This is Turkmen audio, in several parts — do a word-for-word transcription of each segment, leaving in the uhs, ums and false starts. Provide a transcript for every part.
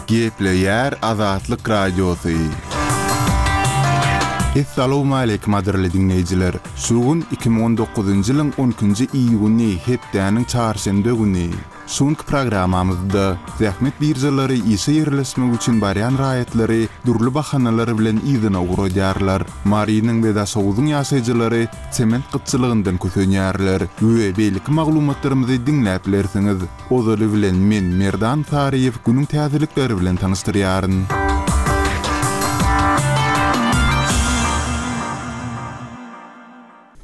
Gepleýär Azatlyk Radiosy. Essalawmaleýkim gadyrly diňleýjiler! Şu gün iki müň on dokuzynjy ýylyň on ikinji iýuny, hepdäniň çarşenbe güni. Şu günki programmamyzda zähmet biržalary işe ýerleşmek üçin barýan raýatlary dürli bahanalar bilen yzyna ugradýarlar. Marynyň we Daşoguzyň ýaşaýjylary sement gytçylygyndan kösenýärler we beýleki maglumatlarymyzy diňläp bilersiňiz. Ozaly bilen men Merdan Saryýew günüň täzelikleri bilen tanyşdyrýaryn.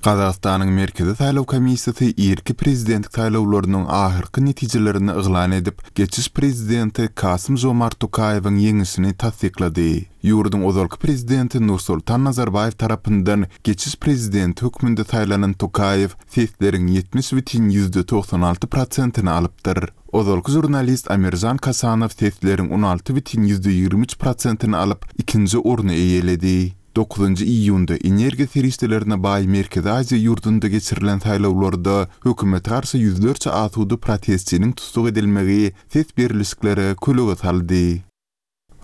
Gazagystanyň Merkezi saýlaw komissiýasy irki prezidentlik saýlawlarynyň ahyrky netijelerini yglan edip, geçiş prezidenti Kasym-Žomart Tokaýewiň ýeňişini tassyklady. Ýurduň ozalky prezidenti Nursultan Nazarbaýew tarapyndan geçiş prezidenti hökmünde saýlanan Tokaýew sesleriň ýetmiş bütin ýüzde togsan alty prosentini alypdyr. Ozalky žurnalist Amirjan Kasanow sesleriň on alty bütin ýüzde ýigrimi üç prosentini alyp, ikinji orny eýeledi. Dokuzynjy iýunda energiýa serişdelerine baý Merkezi Aziýa ýurdunda geçirilen saýlawlarda hökümete garşy ýüzlerçe asuda protestçiniň tussag edilmegi ses berlişiklere kölege saldy.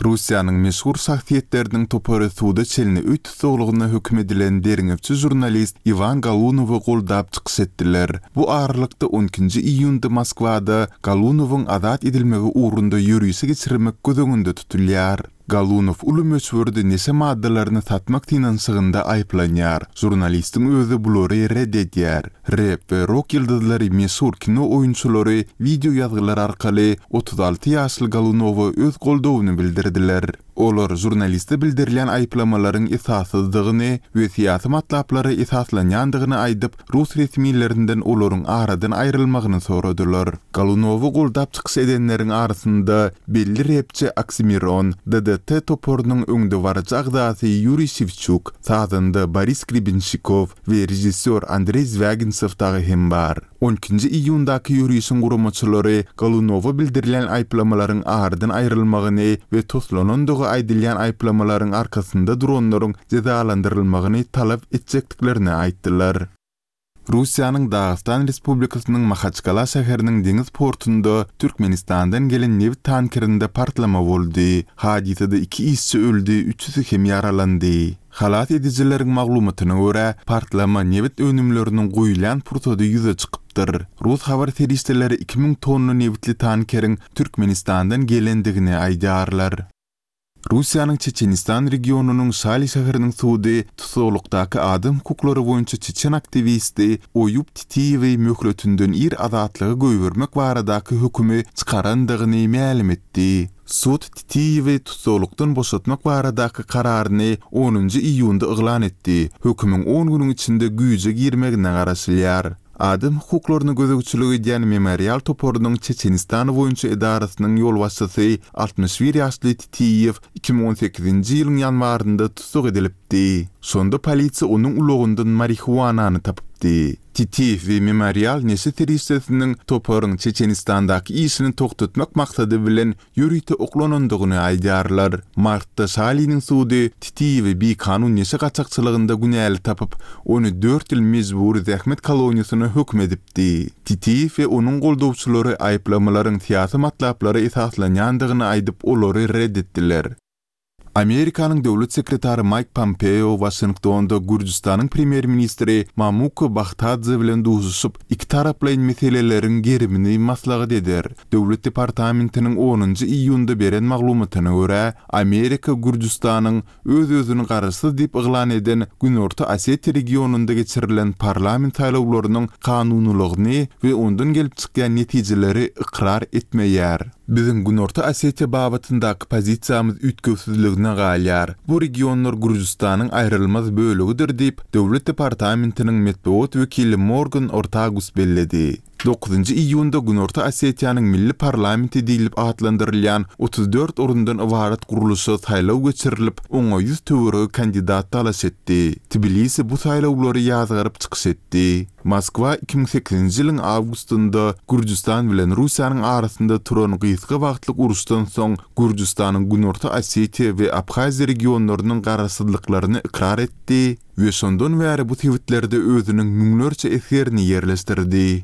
Russiýanyň meşhur şahsyýetleriniň topary suda çenli öý tussaglygyna höküm edilen derňewçi žurnalist Iwan Golunowy goldap çykyş etdiler. Bu aralykda on ikinji iýunda Moskwada Golunowyň azat edilmegi ugrunda ýörişi geçirmek göz öňünde tutulýar. Golunow uly möçberde neşe maddalaryny satmak synanyşygynda aýyplanýar. Žurnalistiň özi bulary red edýär. Rap we rok ýyldyzlary meşhur kino oýunçylary wideo ýazgylar arkaly otuz alty ýaşly Golunowa öz goldawyny bildirdiler. Olar žurnaliste bildirilýän aýyplamalaryň esassyzdygyny we syýasy matlaplara esaslanýandygyny aýdyp, rus resmilerinden olaryň aradan aýrylmagyny soradylar. Golunowy goldap çykyş edenleriň arasynda belli repçi Oksimiron, D D T toparynyň öňdebaryjy agzasy Ýuriý Şewçuk, sazanda Boris Grebenşikow we režissýor Andreý Zwýaginsew dagy hem bar. on ikinji iýundaky ýörişiň guramaçylary Golunowa bildirilýän aýyplamalaryň aradan aýrylmagyny we toslanandygy aýdylýan aýyplamalaryň arkasynda duranlaryň jezalandyrylmagyny talap etjekdiklerini aýtdylar. Russiýanyň Dagystan Respublikasynyň Mahaçkala şäheriniň deňiz portunda Türkmenistandan gelen nebit tankerinde partlama boldy. Hadysada iki işçi öldi, üçüsi hem ýaralandy. Halas edijileriň maglumatyna görä, partlama nebit önümleriniň guýulýan pursady ýüze çykypdyr. Rus habar serişdeleri iki müň tonna nebitli tankeriň Türkmenistandan gelendigini aýdýarlar. Russiýanyň Çeçenistan regionynyň Şali şäheriniň sudy tussaglykdaky adam hukuklary boýunça çeçen aktiwisti Oýub Titiýewi möhletinden ir azatlyga goýbermek baradaky hökümi çykarandygyny mälim etdi. Sud Titiýewi tussaglykdan boşatmak baradaky kararyny onunjy iýunda yglan etdi. Hökümiň on günüň içinde güýje girmegine garaşylýar. Adam hukuklaryny gözegçilik edýän Memorial toparynyň Çeçenistan boýunça edarasynyň ýolbaşçysy altmyş bir ýaşly Titiýew iki müň on sekizinji ýylyň ýanwarynda tussag edilipdi. Şonda polisiýa onuň ulagyndan marihuanany tapypdy. Titiýew we Memorial neşe serişdesiniň toparyň Çeçenistandaky işini togtatmak maksady bilen ýörite oklanandygyny aýdýarlar. Martda Şaliniň sudy Titiýewi bikanun neşe gaçakçylygynda günäli tapyp, ony dört ýyl mejbury zähmet koloniýasyna höküm edipdi. Titiýew we onuň goldawçylary aýyplamalaryň syýasy matlaplara esaslanýandygyny aýdyp, olary red etdiler. Amerikanyň döwlet sekretary Maýk Pompeo Waşingtonda Gürjüstanyň premýer-ministri Mamuka Bahtadze bilen duşuşyp, iki taraplaýyn meseleleriň gerimini maslahat eder. Döwlet departamentiniň onunjy iýunda beren maglumatyna görä, Amerika Gürjüstanyň öz-özüni garaşsyz diýip yglan eden Günorta Osetiýa regionynda geçirilen parlament saýlawlarynyň kanunylygyny we ondan gelip çykýan netijeleri ykrar etmeýär. Biziň Günorta Osetiýa babatyndaky pozisiýamyz üýtgewsizligine galýar. Bu regionlar Gürjüstanyň aýrylmaz bölegidir diýip, Döwlet departamentiniň metbugat wekili Morgan Ortagus belledi. Dokuzynjy iýunda Günorta Osetiýanyň milli parlamenti diýlip atlandyrylýan otuz dört orundan ybarat gurluşa saýlaw geçirilip, oňa ýüz töweregi kandidat talaş etdi. Tbilisi bu saýlawlary ýazgaryp çykyş etdi. Moskwa iki müň sekizinji ýylyň awgustynda Gürjüstan bilen Russiýanyň arasynda turan gysga wagtlyk uruşdan soň Gürjüstanyň Günorta Osetiýa we Abhaziýa regionlarynyň garaşsyzlyklaryny ykrar etdi we şondan bäri bu sebitlerde özüniň müňlerçe esgerini ýerleşdirdi.